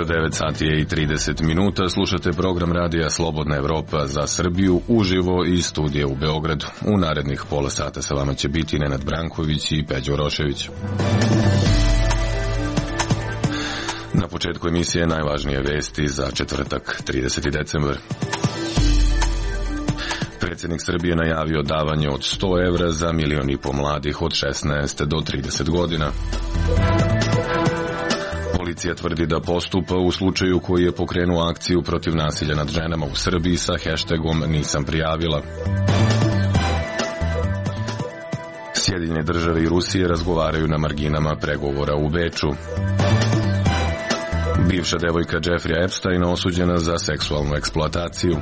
Dobro, 9 sati je i 30 minuta. Slušate program radija Slobodna Evropa za Srbiju uživo iz studija u Beogradu. U narednih pola sata sa vama će biti Nenad Branković i Peđo Rošević. Na početku emisije najvažnije vesti za četvrtak, 30. decembar. Predsjednik Srbije najavio davanje od 100 evra za 1,5 miliona mladih od 16 do 30 godina. Policija tvrdi da postupa u slučaju koji je pokrenuo akciju protiv nasilja nad ženama u Srbiji sa hashtagom Nisam prijavila. Sjedinjene države i Rusije razgovaraju na marginama pregovora u Beču. Bivša devojka Jeffrey Epsteina osuđena za seksualnu eksploataciju.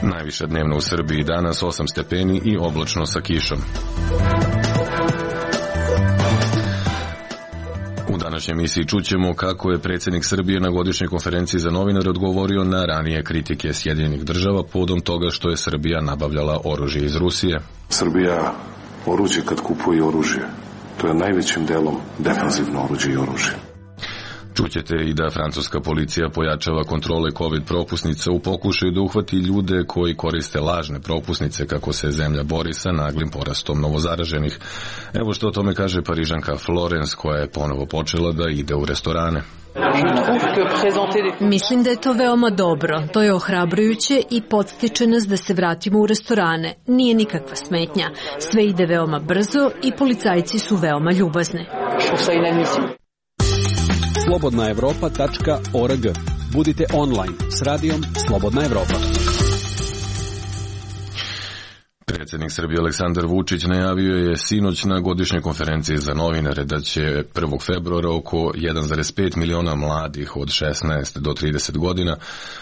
Najviša dnevno u Srbiji danas 8 stepeni i oblačno sa kišom. U današnjoj emisiji čućemo kako je predsjednik Srbije na godišnjoj konferenciji za novinare odgovorio na ranije kritike Sjedinjenih država povodom toga što je Srbija nabavljala oružje iz Rusije. Srbija oružje kad kupuje oružje, to je najvećim delom defanzivno oružje i oružje. Čućete i da francuska policija pojačava kontrole COVID propusnica u pokušaju da uhvati ljude koji koriste lažne propusnice kako se zemlja bori sa naglim porastom novozaraženih. Evo što o tome kaže Parižanka Florence koja je ponovo počela da ide u restorane. Mislim da je to veoma dobro. To je ohrabrujuće i podstiče nas da se vratimo u restorane. Nije nikakva smetnja. Sve ide veoma brzo i policajci su veoma ljubazni. slobodnaevropa.org. Budite online s radijom Slobodna Evropa. Predsjednik Srbije Aleksandar Vučić najavio je sinoć na godišnjoj konferenciji za novinare da će 1. februara oko 1,5 miliona mladih od 16 do 30 godina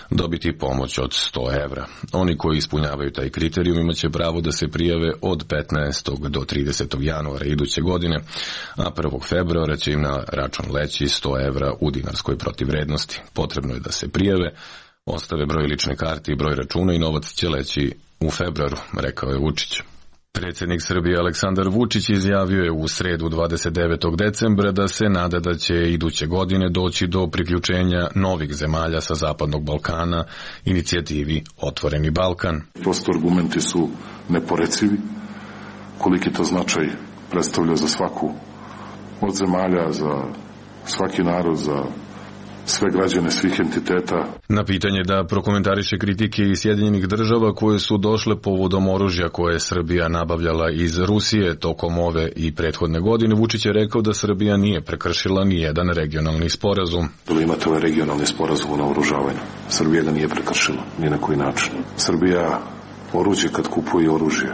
dobiti pomoć od 100 evra. Oni koji ispunjavaju taj kriterijum imaće pravo da se prijave od 15. do 30. januara iduće godine, a 1. februara će im na račun leći 100 evra u dinarskoj protivvrednosti. Potrebno je da se prijave, ostave broj lične karte i broj računa i novac će leći u februaru, rekao je Vučić. Predsjednik Srbije Aleksandar Vučić izjavio je u sredu 29. decembra da se nada da će iduće godine doći do priključenja novih zemalja sa Zapadnog Balkana inicijativi Otvoreni Balkan. Prosto argumenti su neporecivi, koliki to značaj predstavlja za svaku od zemalja, za svaki narod, za sve građane svih entiteta. Na pitanje da prokomentariše kritike iz Sjedinjenih država koje su došle povodom oružja koje je Srbija nabavljala iz Rusije tokom ove i prethodne godine, Vučić je rekao da Srbija nije prekršila ni jedan regionalni sporazum. Da imate ovaj regionalni sporazum o naoružavanju. Srbija ga nije prekršila, ni na koji način. Srbija oružje kad kupuje oružje,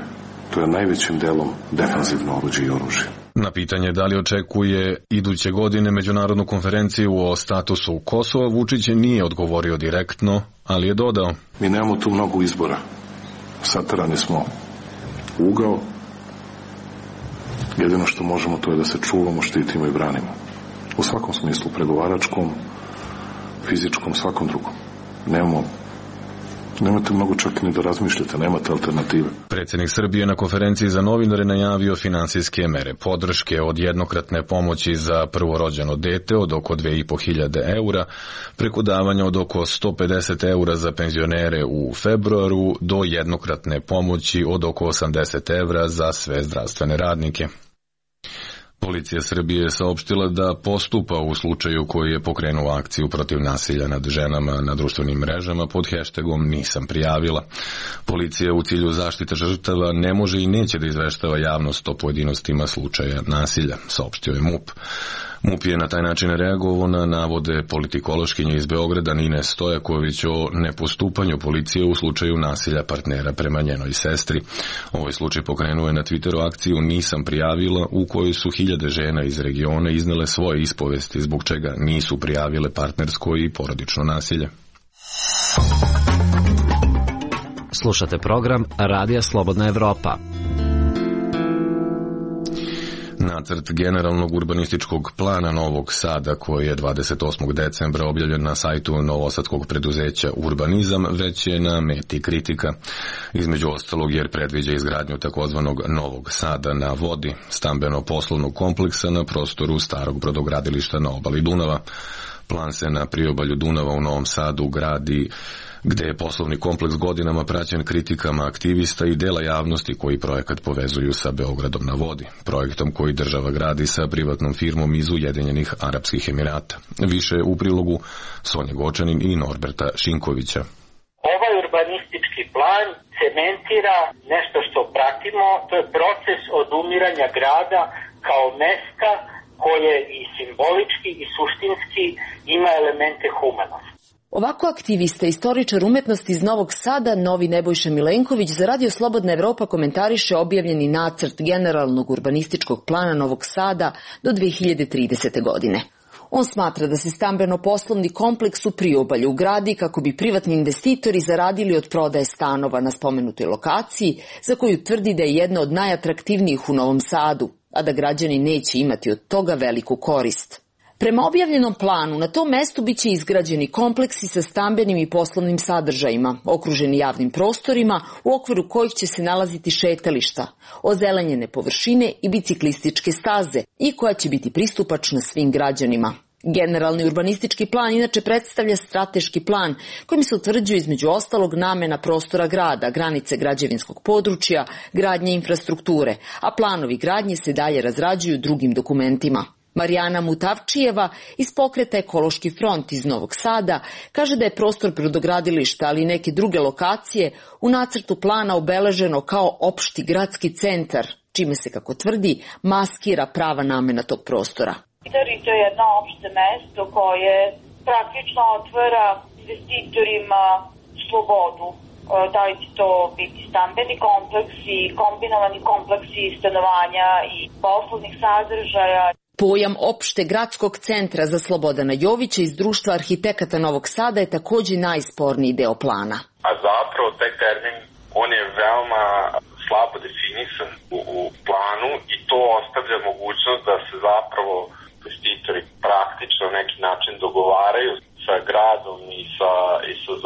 to je najvećim delom defanzivno oružje i oružje. Na pitanje da li očekuje iduće godine međunarodnu konferenciju o statusu Kosova, Vučić nije odgovorio direktno, ali je dodao: Mi nemamo tu mnogo izbora. Saterani smo u ugao. Jedino što možemo to je da se čuvamo, štitimo i branimo. U svakom smislu, pregovaračkom, fizičkom, svakom drugom. Nemate mnogo čak ni da razmišljate, nemate alternative. Predsjednik Srbije na konferenciji za novinare najavio finansijske mere podrške od jednokratne pomoći za prvorođeno dete od oko 2.500 eura, preko davanja od oko 150 eura za penzionere u februaru do jednokratne pomoći od oko 80 evra za sve zdravstvene radnike. Policija Srbije je saopštila da postupa u slučaju koji je pokrenuo akciju protiv nasilja nad ženama na društvenim mrežama pod hashtagom Nisam prijavila. Policija u cilju zaštite žrtava ne može i neće da izveštava javnost o pojedinostima slučaja nasilja, saopštio je MUP. MUP je na taj način reagovao na navode politikološkinje iz Beograda Nine Stojaković o nepostupanju policije u slučaju nasilja partnera prema njenoj sestri. Ovaj slučaj pokrenuo je na Twitteru akciju Nisam prijavila, u kojoj su hiljade žena iz regiona iznele svoje ispovesti zbog čega nisu prijavile partnersko i porodično nasilje. Slušate program Radija Slobodna Evropa. Nacrt generalnog urbanističkog plana Novog Sada, koji je 28. decembra objavljen na sajtu novosadskog preduzeća Urbanizam, već je na meti kritika. Između ostalog jer predviđa izgradnju takozvanog Novog Sada na vodi, stambeno-poslovnog kompleksa na prostoru starog brodogradilišta na obali Dunava. Plan se na priobalju Dunava u Novom Sadu gradi gde je poslovni kompleks godinama praćen kritikama aktivista i dela javnosti koji projekat povezuju sa Beogradom na vodi, projektom koji država gradi sa privatnom firmom iz Ujedinjenih Arapskih Emirata. Više u prilogu Sonje Gočanin i Norberta Šinkovića. Ovaj urbanistički plan cementira nešto što pratimo, to je proces odumiranja grada kao mesta koje i simbolički i suštinski ima elemente humanosti. Ovako aktivista, istoričar umetnosti iz Novog Sada, Novi Nebojša Milenković, za Radio Slobodna Evropa komentariše objavljeni nacrt generalnog urbanističkog plana Novog Sada do 2030. godine. On smatra da se stambeno-poslovni kompleks u priobalju gradi kako bi privatni investitori zaradili od prodaje stanova na spomenutoj lokaciji, za koju tvrdi da je jedna od najatraktivnijih u Novom Sadu, a da građani neće imati od toga veliku korist. Prema objavljenom planu, na tom mestu biće izgrađeni kompleksi sa stambenim i poslovnim sadržajima, okruženi javnim prostorima u okviru kojih će se nalaziti šetališta, ozelenjene površine i biciklističke staze i koja će biti pristupačna svim građanima. Generalni urbanistički plan inače predstavlja strateški plan kojim se utvrđuje između ostalog namena prostora grada, granice građevinskog područja, gradnje infrastrukture, a planovi gradnje se dalje razrađuju drugim dokumentima. Marijana Mutavčijeva iz pokreta Ekološki front iz Novog Sada kaže da je prostor brodogradilišta, ali i neke druge lokacije u nacrtu plana obeleženo kao opšti gradski centar, čime se, kako tvrdi, maskira prava namena tog prostora. To je jedno opšte mesto koje praktično otvara investitorima slobodu. Da li će to biti stambeni kompleksi, kombinovani kompleksi stanovanja i poslovnih sadržaja. Pojam opšte gradskog centra za Slobodana Jovića iz Društva arhitekata Novog Sada je također najsporniji deo plana. A zapravo taj termin, on je veoma slabo definisan u planu i to ostavlja mogućnost da se zapravo investitori praktično na neki način dogovaraju sa gradom i sa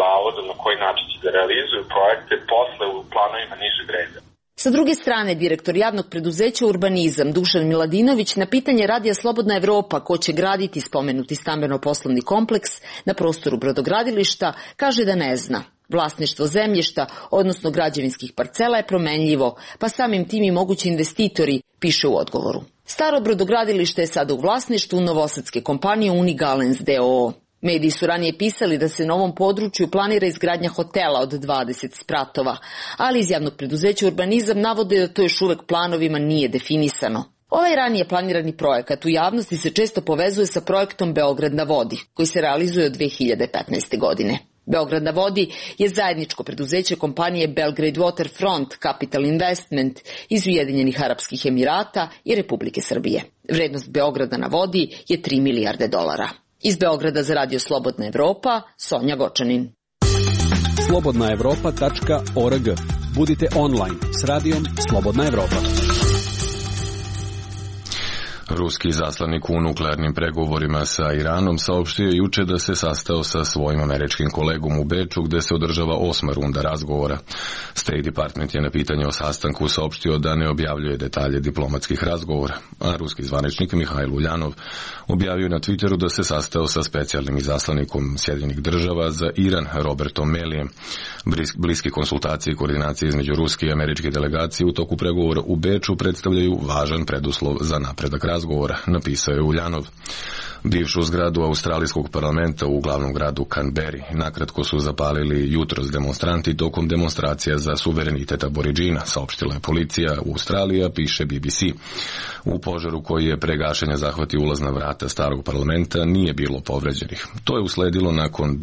zavodom na koji način će da realizuju projekte posle u planovima nižeg reda. Sa druge strane, direktor javnog preduzeća Urbanizam Dušan Miladinović na pitanje Radija Slobodna Evropa ko će graditi spomenuti stambeno-poslovni kompleks na prostoru brodogradilišta kaže da ne zna. Vlasništvo zemljišta, odnosno građevinskih parcela je promenljivo, pa samim tim i mogući investitori, piše u odgovoru. Staro brodogradilište je sada u vlasništvu novosadske kompanije Unigalens d.o.o. Mediji su ranije pisali da se na ovom području planira izgradnja hotela od 20 spratova, ali iz javnog preduzeća Urbanizam navode da to još uvek planovima nije definisano. Ovaj ranije planirani projekat u javnosti se često povezuje sa projektom Beograd na vodi, koji se realizuje od 2015. godine. Beograd na vodi je zajedničko preduzeće kompanije Belgrade Waterfront Capital Investment iz Ujedinjenih Arapskih Emirata i Republike Srbije. Vrednost Beograda na vodi je 3 milijarde dolara. Iz Beograda za Radio Slobodna Evropa, Sonja Gočanin. slobodnaevropa.org. Budite online s radijom Slobodna Evropa. Ruski zaslanik u nuklearnim pregovorima sa Iranom saopštio juče da se sastao sa svojim američkim kolegom u Beču gde se održava 8. runda razgovora. State Department je na pitanje o sastanku saopštio da ne objavljuje detalje diplomatskih razgovora, a ruski zvaničnik Mihajl Uljanov objavio na Twitteru da se sastao sa specijalnim izaslanikom Sjedinjenih država za Iran Robertom Melijem. Bliske konsultacije i koordinacije između ruske i američke delegacije u toku pregovora u Beču predstavljaju važan preduslov za napredak razgovora, napisao je Uljanov. Bivšu zgradu australijskog parlamenta u glavnom gradu Canberri nakratko su zapalili jutros demonstranti tokom demonstracija za suverenitet Aboridžina, saopštila je policija u Australiji, piše BBC. U požaru koji je pre gašenja zahvatio ulazna vrata starog parlamenta nije bilo povređenih. To je usledilo nakon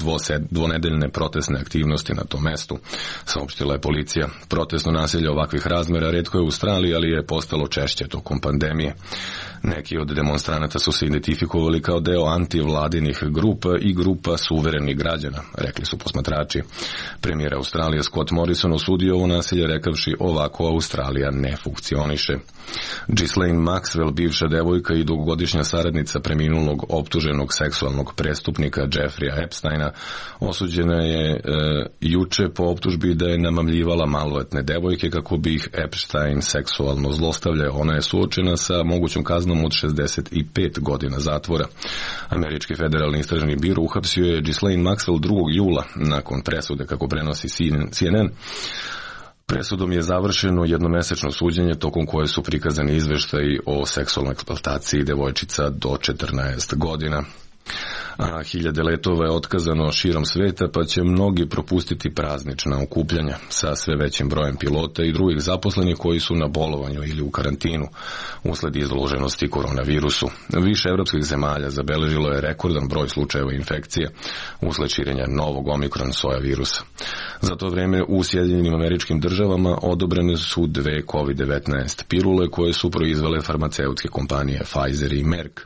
dvonedeljne protestne aktivnosti na tom mestu, saopštila je policija. Protestno nasilje ovakvih razmera retko je u Australiji, ali je postalo češće tokom pandemije. Neki od demonstranata su se identifikovali kao kao deo antivladinih grupa i grupa suverenih građana, rekli su posmatrači. Premijer Australije Scott Morrison osudio ovo nasilje rekavši ovako Australija ne funkcioniše. Ghislaine Maxwell, bivša devojka i dugogodišnja saradnica preminulog optuženog seksualnog prestupnika Jeffreya Epsteina, osuđena je juče po optužbi da je namamljivala maloletne devojke kako bi ih Epstein seksualno zlostavljao. Ona je suočena sa mogućom kaznom od 65 godina zatvora. Američki federalni istražni biro uhapsio je Ghislaine Maxwell 2. jula nakon presude, kako prenosi CNN. Presudom je završeno jednomesečno suđenje tokom koje su prikazani izveštaji o seksualnoj eksploataciji devojčica do 14 godina. A hiljade letova je otkazano širom sveta, pa će mnogi propustiti praznična okupljanja sa sve većim brojem pilota i drugih zaposlenih koji su na bolovanju ili u karantinu usled izloženosti koronavirusu. Više evropskih zemalja zabeležilo je rekordan broj slučajeva infekcije usled širenja novog omikron soja virusa. Za to vreme u Sjedinjenim Američkim Državama odobrene su 2 COVID-19 pilule koje su proizvele farmaceutske kompanije Pfizer i Merck.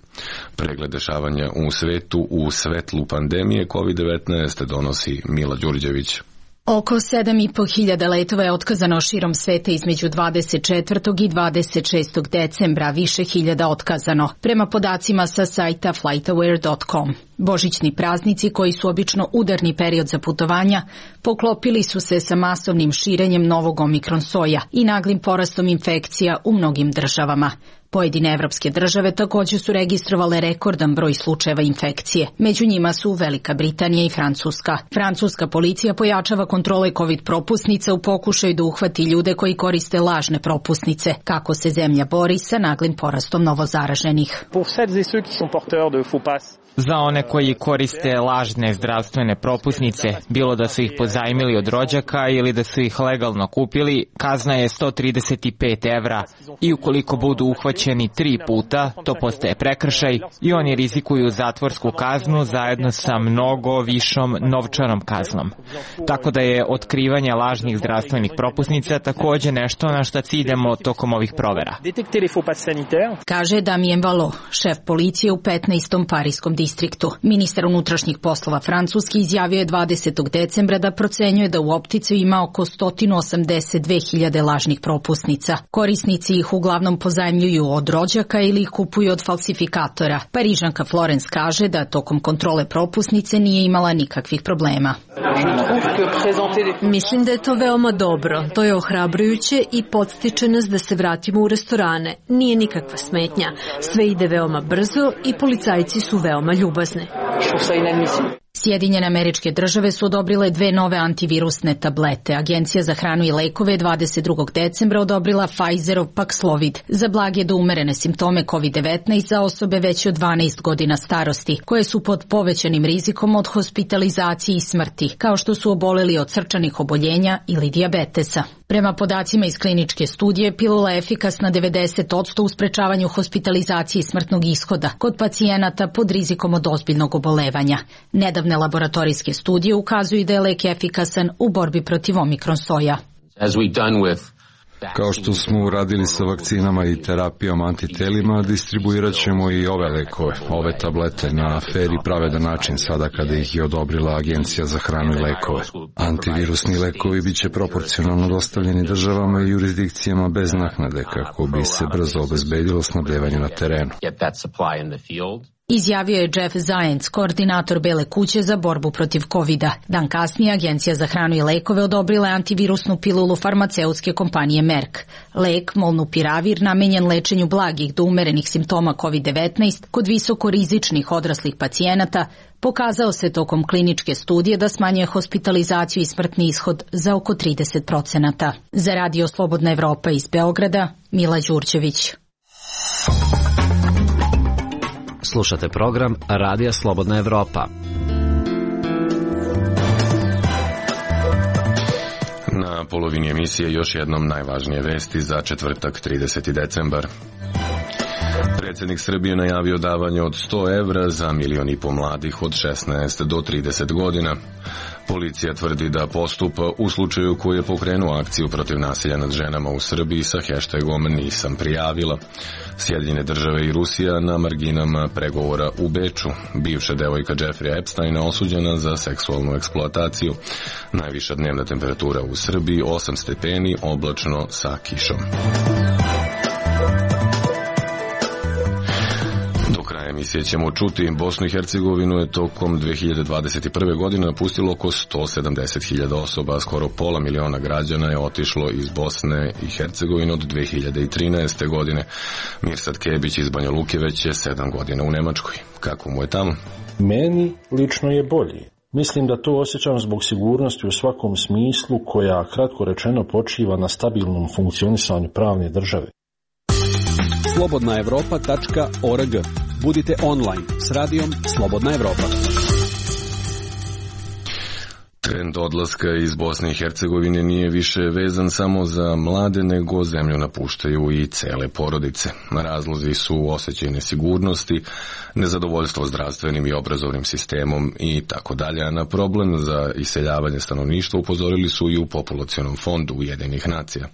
Pregled dešavanja u svetu u svetlu pandemije COVID-19 donosi Mila Đurđević. Oko 7.500 letova je otkazano širom sveta između 24. i 26. decembra, više hiljada otkazano, prema podacima sa sajta flightaware.com. Božićni praznici, koji su obično udarni period za putovanja, poklopili su se sa masovnim širenjem novog omikron soja i naglim porastom infekcija u mnogim državama. Pojedine evropske države također su registrovale rekordan broj slučajeva infekcije. Među njima su Velika Britanija i Francuska. Francuska policija pojačava kontrole COVID propusnica u pokušaju da uhvati ljude koji koriste lažne propusnice. Kako se zemlja bori sa naglim porastom novozaraženih? Za one koji koriste lažne zdravstvene propusnice, bilo da su ih pozajmili od rođaka ili da su ih legalno kupili, kazna je 135 evra i ukoliko budu uhvaćeni 3 puta, to postaje prekršaj i oni rizikuju zatvorsku kaznu zajedno sa mnogo višom novčanom kaznom. Tako da je otkrivanje lažnih zdravstvenih propusnica također nešto na što ciljamo tokom ovih provera. Kaže Damien Valo, šef policije u 15. parijskom distriktu. Ministar unutrašnjih poslova Francuski izjavio je 20. decembra da procenjuje da u optici ima oko 182.000 lažnih propusnica. Korisnici ih uglavnom pozajmljuju od rođaka ili ih kupuju od falsifikatora. Parižanka Florence kaže da tokom kontrole propusnice nije imala nikakvih problema. Mislim da je to veoma dobro. To je ohrabrujuće i podstiče nas da se vratimo u restorane. Nije nikakva smetnja. Sve ide veoma brzo i policajci su veoma ljubazni. Sjedinjene Američke Države su odobrile 2 nove antivirusne tablete. Agencija za hranu i lekove 22. decembra odobrila Pfizerov Paxlovid za blage do umerene simptome COVID-19 za osobe veće od 12 godina starosti, koje su pod povećanim rizikom od hospitalizacije i smrti, kao što su oboleli od srčanih oboljenja ili dijabetesa. Prema podacima iz kliničke studije, pilula je efikasna 90% u sprečavanju hospitalizacije i smrtnog ishoda kod pacijenata pod rizikom od ozbiljnog obolevanja. Nedavne laboratorijske studije ukazuju da je lek efikasan u borbi protiv omikron soja. Kao što smo uradili sa vakcinama i terapijom antitelima, distribuirat ćemo i ove lekove, ove tablete na fer i pravedan način sada kada ih je odobrila Agencija za hranu i lekove. Antivirusni lekovi bit će proporcionalno dostavljeni državama i jurisdikcijama bez naknade kako bi se brzo obezbedilo snabdevanje na terenu. Izjavio je Jeff Zients, koordinator Bele kuće za borbu protiv COVID-a. Dan kasnije Agencija za hranu i lekove odobrila je antivirusnu pilulu farmaceutske kompanije Merck. Lek Molnupiravir, namenjen lečenju blagih do umerenih simptoma COVID-19 kod visokorizičnih odraslih pacijenata, pokazao se tokom kliničke studije da smanjuje hospitalizaciju i smrtni ishod za oko 30%. Za Radio Slobodna Evropa iz Beograda, Mila Đurđević. Slušate program Radija Slobodna Evropa. Na polovini emisije još jednom najvažnije vesti za četvrtak 30. decembar. Predsjednik Srbije najavio davanje od 100 evra za 1,5 miliona mladih od 16 do 30 godina. Policija tvrdi da postupa u slučaju koji je pokrenuo akciju protiv nasilja nad ženama u Srbiji sa hashtagom Nisam prijavila. Sjedinjene države i Rusija na marginama pregovora u Beču. Bivša devojka Jeffrey Epsteina osuđena za seksualnu eksploataciju. Najviša dnevna temperatura u Srbiji 8 stepeni, oblačno sa kišom. Emisije ćemo čuti. Bosnu i Hercegovinu je tokom 2021. godine napustilo oko 170.000 osoba, skoro pola miliona građana je otišlo iz Bosne i Hercegovine od 2013. godine. Mirsad Kebić iz Banja Luke već je 7 godina u Nemačkoj. Kako mu je tamo? Meni lično je bolji. Mislim da to osjećam zbog sigurnosti u svakom smislu koja, kratko rečeno, počiva na stabilnom funkcionisanju pravne države. Slobodnaevropa.org. Budite online s radijom Slobodna Evropa. Trend odlaska iz Bosne i Hercegovine nije više vezan samo za mlade, nego zemlju napuštaju i cele porodice. Razlozi su osjećaj nesigurnosti, nezadovoljstvo zdravstvenim i obrazovnim sistemom i tako dalje. A na problem za iseljavanje stanovništva upozorili su i u Populacionom fondu Ujedinjenih nacija.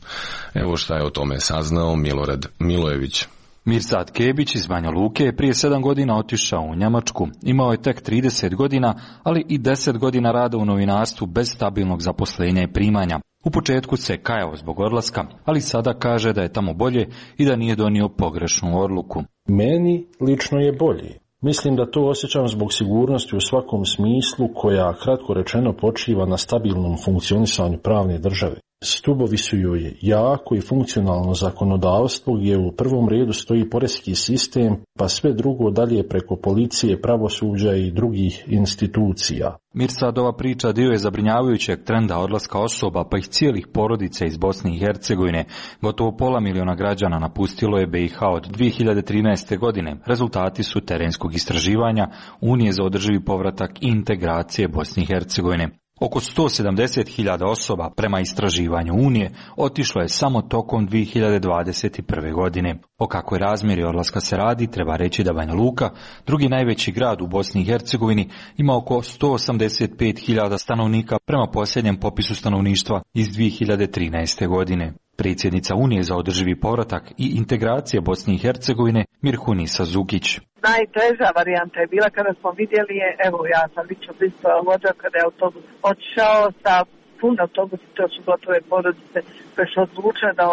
Evo šta je o tome saznao Milorad Milojević. Mirsad Kebić iz Banja Luke je prije 7 godina otišao u Njemačku. Imao je tek 30 godina, ali i 10 godina rada u novinarstvu bez stabilnog zaposlenja i primanja. U početku se kajao zbog odlaska, ali sada kaže da je tamo bolje i da nije donio pogrešnu odluku. Meni lično je bolje. Mislim da to osjećam zbog sigurnosti u svakom smislu koja, kratko rečeno, počiva na stabilnom funkcionisanju pravne države. Stubovi su joj jako i funkcionalno zakonodavstvo gdje u prvom redu stoji poreski sistem, pa sve drugo dalje preko policije, pravosuđa i drugih institucija. Mirsadova priča dio je zabrinjavajućeg trenda odlaska osoba, pa ih cijelih porodica iz Bosne i Hercegovine. Gotovo pola miliona građana napustilo je BiH od 2013. godine. Rezultati su terenskog istraživanja Unije za održivi povratak i integracije Bosne i Hercegovine. Oko 170.000 osoba prema istraživanju Unije otišlo je samo tokom 2021. godine. O kakvoj razmjeri odlaska se radi, treba reći da Banja Luka, drugi najveći grad u Bosni i Hercegovini, ima oko 185.000 stanovnika prema posljednjem popisu stanovništva iz 2013. godine. Predsjednica Unije za održivi povratak i integracije Bosne i Hercegovine Mirhunisa Zukić. Najteža varijanta je bila kada smo vidjeli, evo ja sam lično prisutovala vođa kada je autobus otišao sa pun autobusa, to su gotove porodice koje su odlučile da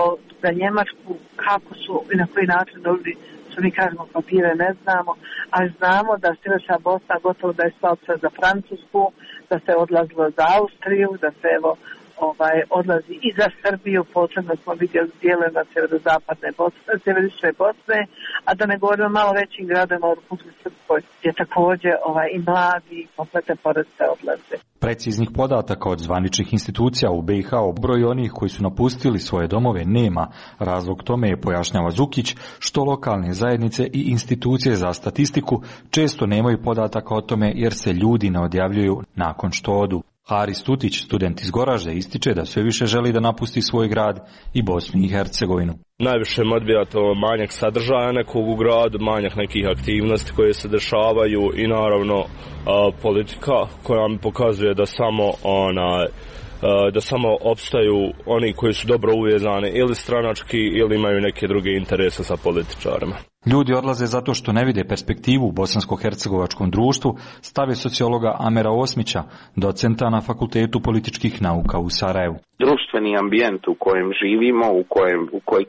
za Njemačku, kako su i na koji način dobili, što mi kažemo papire ne znamo, ali znamo da Sjeverna Bosna gotovo da je stala za Francusku, da se odlazilo za Austriju, da se evo odlazi i za Srbiju, posebno smo vidjeli dijelima sjeverozapadne Bosne, sjeverične Bosne, a da ne govorimo malo većim gradima u Republici Srpskoj, gdje također i mladi i kompletne porodice odlaze. Preciznih podataka od zvaničnih institucija u BiH o broju onih koji su napustili svoje domove nema. Razlog tome je, pojašnjava Zukić, što lokalne zajednice i institucije za statistiku često nemaju podataka o tome jer se ljudi ne odjavljuju nakon što odu. Haris Tutić, student iz Goražde, ističe da sve više želi da napusti svoj grad i Bosnu i Hercegovinu. Najviše me odbija to manjak sadržaja nekog u gradu, manjak nekih aktivnosti koje se dešavaju i naravno politika koja mi pokazuje da samo opstaju oni koji su dobro uvezani ili stranački ili imaju neke druge interese sa političarima. Ljudi odlaze zato što ne vide perspektivu u bosansko-hercegovačkom društvu, stave sociologa Amera Osmića, docenta na Fakultetu političkih nauka u Sarajevu. Društveni ambijent u kojem živimo,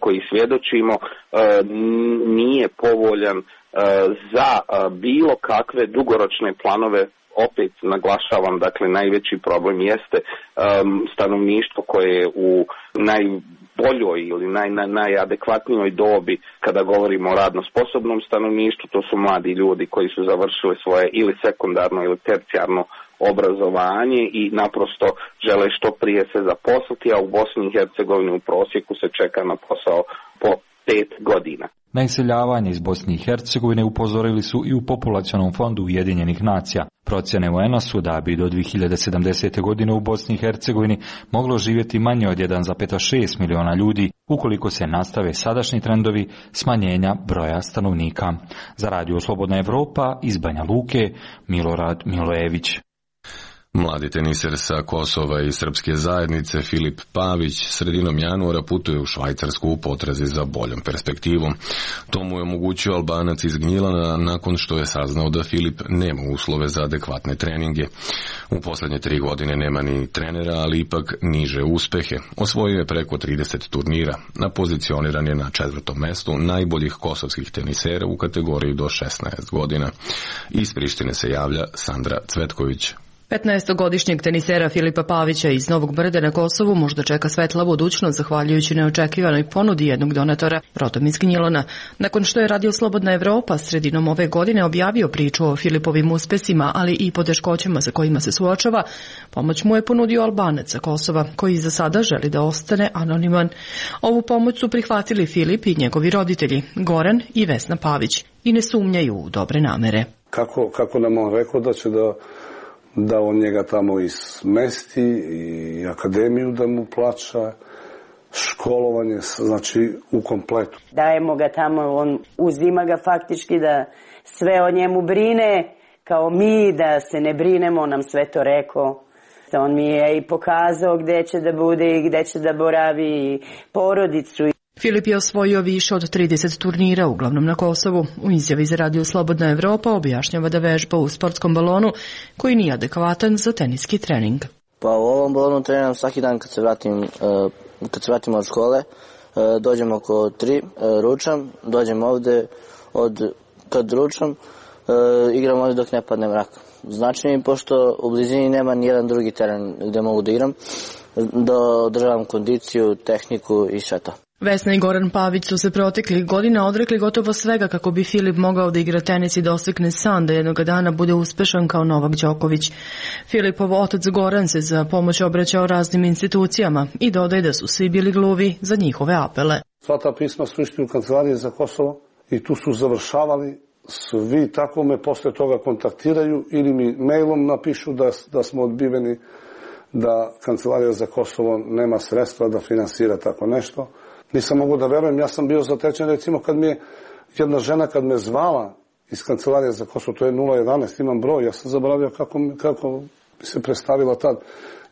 koji svjedočimo, nije povoljan za bilo kakve dugoročne planove. Opet naglašavam, dakle, najveći problem jeste stanovništvo koje je u najboljoj ili najadekvatnijoj dobi kada govorimo o radno sposobnom stanovništvu. To su mladi ljudi koji su završili svoje ili sekundarno ili tercijarno obrazovanje i naprosto žele što prije se zaposliti, a u Bosni i Hercegovini u prosjeku se čeka na posao po 5 godina. Na iseljavanje iz Bosne i Hercegovine upozorili su i u Populacionom fondu Ujedinjenih nacija. Procjene UN-a su da bi do 2070. godine u Bosni i Hercegovini moglo živjeti manje od 1,6 miliona ljudi ukoliko se nastave sadašnji trendovi smanjenja broja stanovnika. Za Radio Slobodna Evropa iz Banja Luke, Milorad Milojević. Mladi teniser sa Kosova i srpske zajednice Filip Pavić sredinom januara putuje u Švajcarsku u potrazi za boljom perspektivom. To mu je omogućio Albanac iz Gnjilana nakon što je saznao da Filip nema uslove za adekvatne treninge. U posljednje 3 godine nema ni trenera, ali ipak niže uspehe. Osvojio je preko 30 turnira. Napozicioniran je na 4. mestu najboljih kosovskih tenisera u kategoriji do 16 godina. Iz Prištine se javlja Sandra Cvetković. 15-godišnjeg tenisera Filipa Pavića iz Novog Brda na Kosovu možda čeka svetla budućnost zahvaljujući neočekivanoj ponudi jednog donatora, rodom iz Gnjilana. Nakon što je Radio Slobodna Evropa sredinom ove godine objavio priču o Filipovim uspesima, ali i poteškoćama sa kojima se suočava, pomoć mu je ponudio Albanac sa Kosova, koji za sada želi da ostane anoniman. Ovu pomoć su prihvatili Filip i njegovi roditelji, Goran i Vesna Pavić, i ne sumnjaju u dobre namere. Kako nam on rekao da će da on njega tamo ismesti i akademiju da mu plaća, školovanje, znači u kompletu. Dajemo ga tamo, on uzima ga faktički da sve o njemu brine, kao mi da se ne brinemo, on nam sve to rekao. On mi je i pokazao gde će da bude i gde će da boravi porodicu. Filip je osvojio više od 30 turnira, uglavnom na Kosovu. U izjavi za Radio Slobodna Evropa objašnjava da vežba u sportskom balonu koji nije adekvatan za teniski trening. Pa u ovom balonu treniram svaki dan kad se vratim od škole. Dođem oko 3, ručam, dođem ovde, kad ručam, igram ovde dok ne padne mrak. Znači mi, pošto u blizini nema nijedan drugi teren gde mogu da igram, da održavam kondiciju, tehniku i sve to. Vesna i Goran Pavić su se proteklih godina odrekli gotovo svega kako bi Filip mogao da igra tenis i da ostekne san da jednog dana bude uspešan kao Novak Đoković. Filipov otac Goran se za pomoć obraćao raznim institucijama i dodaje da su svi bili gluvi za njihove apele. Sva ta pisma su išli u kancelarije za Kosovo i tu su završavali. Svi tako me posle toga kontaktiraju ili mi mailom napišu da smo odbiveni, da kancelarija za Kosovo nema sredstva da finansira tako nešto. Nisam mogu da verujem, ja sam bio zatečen, recimo kad mi je jedna žena kad me zvala iz kancelarije za Kosovo, to je 011, imam broj, ja sam zaboravio kako mi se predstavila tad,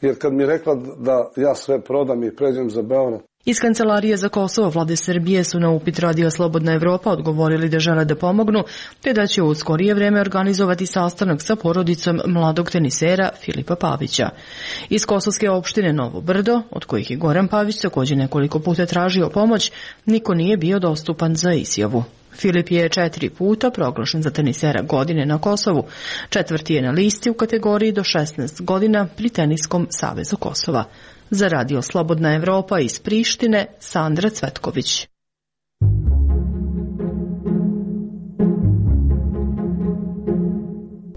jer kad mi je rekla da ja sve prodam i pređem za Beograd. Iz Kancelarije za Kosovo vlade Srbije su na upit Radio Slobodna Evropa odgovorili da žele da pomognu, te da će u skorije vreme organizovati sastanak sa porodicom mladog tenisera Filipa Pavića. Iz kosovske opštine Novo Brdo, od kojih je Goran Pavić također nekoliko puta tražio pomoć, niko nije bio dostupan za izjavu. Filip je 4 puta proglašen za tenisera godine na Kosovu. 4. je na listi u kategoriji do 16 godina pri Teniskom savezu Kosova. Za Radio Slobodna Evropa iz Prištine, Sandra Cvetković.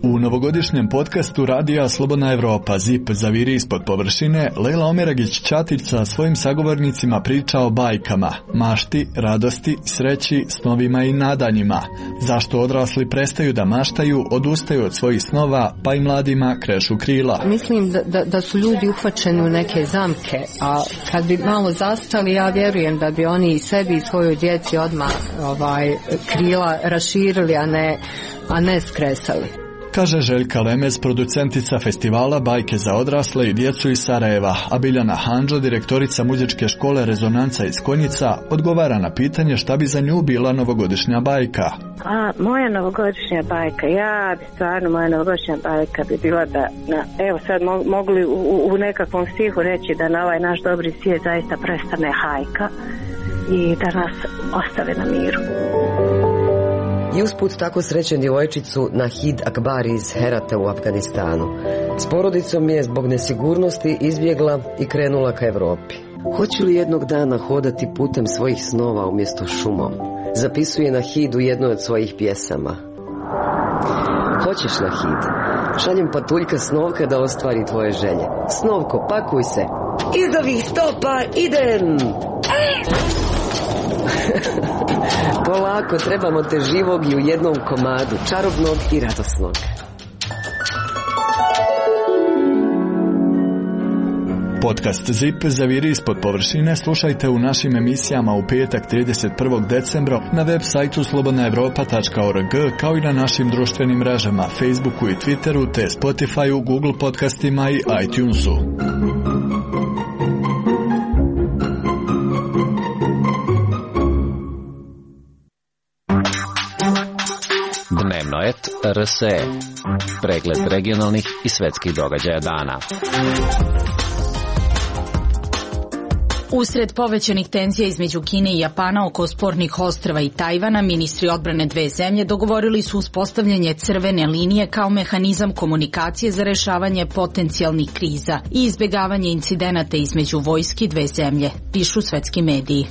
U novogodišnjem podcastu Radija Slobodna Evropa ZIP zaviri ispod površine, Lejla Omeragić-Ćatić sa svojim sagovornicima priča o bajkama, mašti, radosti, sreći, snovima i nadanjima. Zašto odrasli prestaju da maštaju, odustaju od svojih snova, pa i mladima krešu krila. Mislim da su ljudi uhvaćeni u neke zamke, a kad bi malo zastali, ja vjerujem da bi oni sebi i svojoj djeci odmah krila raširili, a ne skresali. Kaže Željka Lemez, producentica festivala Bajke za odrasle i djecu iz Sarajeva, a Biljana Handžo, direktorica muzičke škole Rezonanca iz Konjica, odgovara na pitanje šta bi za nju bila novogodišnja bajka. Moja novogodišnja bajka, moja novogodišnja bajka bi bila da, evo sad mogli u nekakvom stihu reći da na ovaj naš dobri svijet zaista prestane hajka i da nas ostave na miru. I usput tako srećen djevojčicu Nahid Akbari iz Herata u Afganistanu. S porodicom je zbog nesigurnosti izbjegla i krenula ka Evropi. Hoće li jednog dana hodati putem svojih snova umjesto šumom? Zapisuje Nahid u jednoj od svojih pjesama. Hoćeš, Nahid? Šaljem patuljka Snovka da ostvari tvoje želje. Snovko, pakuj se. Iz ovih stopa idem! Polako, trebamo te živog i u jednom komadu, čarobnog i radosnog. Podcast ZIP zaviri ispod površine slušajte u našim emisijama u petak 31. decembra na web sajtu slobodnaevropa.org kao i na našim društvenim mrežama Facebooku i Twitteru te Spotifyu, Google podcastima i iTunesu. Dnevnoet RSE. Pregled regionalnih i svetskih događaja dana. Usred povećanih tenzija između Kine i Japana oko spornih ostrva i Tajvana, ministri odbrane dve zemlje dogovorili su uspostavljanje crvene linije kao mehanizam komunikacije za rešavanje potencijalnih kriza i izbjegavanje incidenata između vojski dve zemlje, pišu svetski mediji.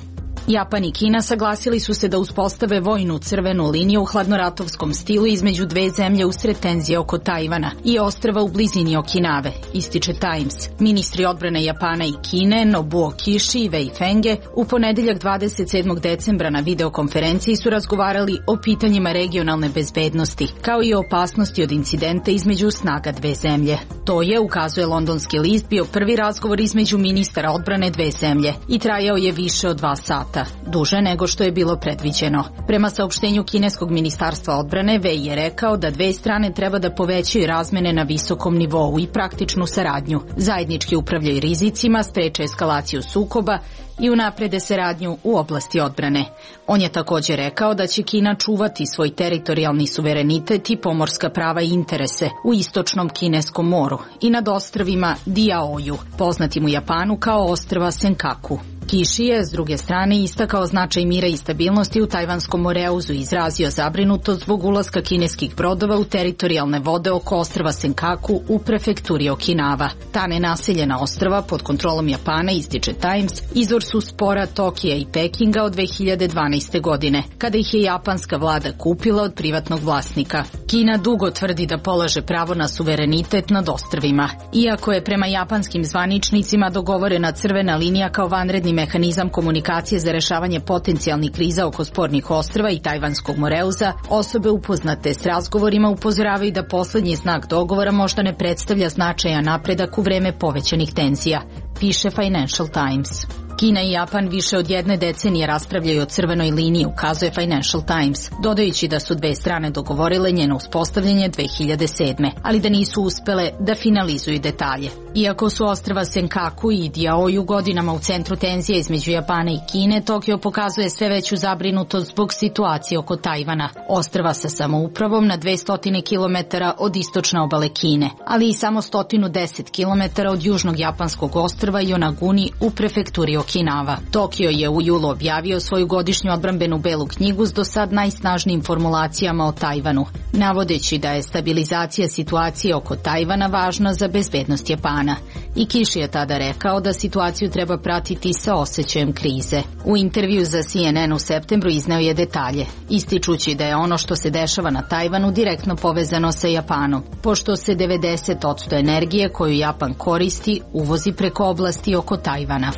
Japan i Kina saglasili su se da uspostave vojnu crvenu liniju u hladnoratovskom stilu između dve zemlje usred tenzije oko Tajvana i ostrva u blizini Okinave, ističe Times. Ministri odbrane Japana i Kine, Nobuo Kishi i Wei Fenge, u ponedeljak 27. decembra na videokonferenciji su razgovarali o pitanjima regionalne bezbednosti, kao i o opasnosti od incidenta između snaga dve zemlje. To je, ukazuje londonski list, bio prvi razgovor između ministara odbrane dve zemlje i trajao je više od 2 sata. Duže nego što je bilo predviđeno. Prema saopštenju kineskog ministarstva odbrane, Wei je rekao da dve strane treba da povećaju razmene na visokom nivou i praktičnu saradnju, zajednički upravljaju rizicima, spreče eskalaciju sukoba i unaprede saradnju u oblasti odbrane. On je također rekao da će Kina čuvati svoj teritorijalni suverenitet i pomorska prava i interese u istočnom Kineskom moru i nad ostrvima Diaoju, poznatim u Japanu kao ostrva Senkaku. Kishi je, s druge strane, istakao značaj mira i stabilnosti u Tajvanskom moreuzu i izrazio zabrinutost zbog ulaska kineskih brodova u teritorijalne vode oko ostrva Senkaku u prefekturi Okinava. Ta nenaseljena ostrva pod kontrolom Japana, ističe Times, izvor su spora Tokija i Pekinga od 2012. godine, kada ih je japanska vlada kupila od privatnog vlasnika. Kina dugo tvrdi da polaže pravo na suverenitet nad ostrvima. Iako je prema japanskim zvaničnicima dogovorena crvena linija kao vanredni mehanizam komunikacije za rešavanje potencijalnih kriza oko spornih ostrva i Tajvanskog moreuza, osobe upoznate s razgovorima upozoravaju da poslednji znak dogovora možda ne predstavlja značajan napredak u vreme povećanih tenzija, piše Financial Times. Kina i Japan više od 1 decenije raspravljaju o crvenoj liniji, ukazuje Financial Times, dodajući da su dve strane dogovorile njeno uspostavljanje 2007. ali da nisu uspele da finalizuju detalje. Iako su ostrva Senkaku i Diaoju godinama u centru tenzije između Japana i Kine, Tokio pokazuje sve veću zabrinutost zbog situacije oko Tajvana, ostrva sa samoupravom na 200 km od istočne obale Kine, ali i samo 110 km od južnog japanskog ostrva Yonaguni u prefekturi Okinava. Tokio je u julu objavio svoju godišnju odbrambenu belu knjigu s do sad najsnažnijim formulacijama o Tajvanu, navodeći da je stabilizacija situacije oko Tajvana važna za bezbednost Japana. I Kishi je tada rekao da situaciju treba pratiti sa osjećajem krize. U intervju za CNN u septembru izneo je detalje, ističući da je ono što se dešava na Tajvanu direktno povezano sa Japanom, pošto se 90% energije koju Japan koristi uvozi preko oblasti oko Tajvana.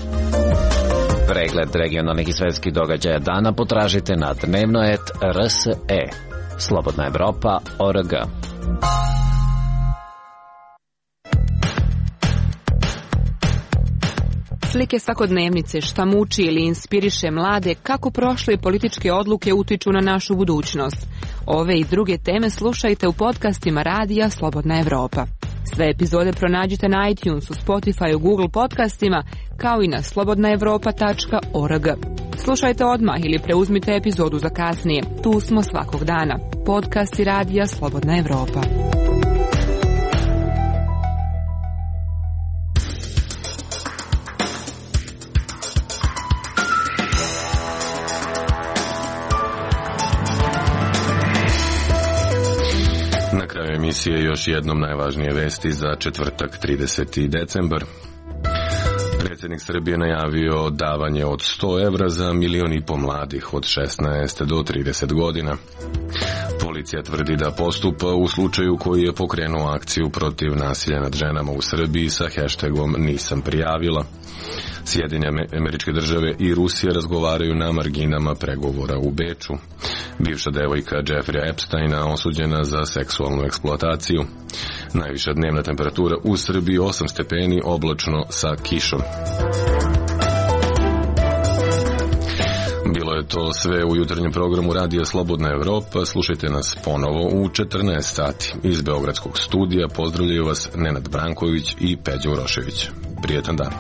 Pregled regionalnih i svetskih događaja dana potražite na Dnevnoet RSE. Slobodna Evropa.org. Slike svakodnevnice, šta muči ili inspiriše mlade, kako prošle političke odluke utiču na našu budućnost. Ove i druge teme slušajte u podcastima Radija Slobodna Evropa. Sve epizode pronađite na iTunesu, Spotifyu, Google podcastima, kao i na slobodnaevropa.org. Slušajte odmah ili preuzmite epizodu za kasnije. Tu smo svakog dana. Podcasti Radija Slobodna Evropa. Na kraju emisije još jednom najvažnije vesti za četvrtak 30. decembar. Predsjednik Srbije najavio davanje od 100 evra za 1,5 miliona mladih od 16 do 30 godina. Policija tvrdi da postupa u slučaju koji je pokrenuo akciju protiv nasilja nad ženama u Srbiji sa hashtagom Nisam prijavila. Sjedinjene Američke Države i Rusija razgovaraju na marginama pregovora u Beču. Bivša devojka Jeffreya Epsteina osuđena za seksualnu eksploataciju. Najviša dnevna temperatura u Srbiji 8 stepeni, oblačno sa kišom. Bilo je to sve u jutarnjem programu Radija Slobodna Evropa. Slušajte nas ponovo u 14 sati. Iz Beogradskog studija pozdravljaju vas Nenad Branković i Peđa Urošević. Prijetan dan.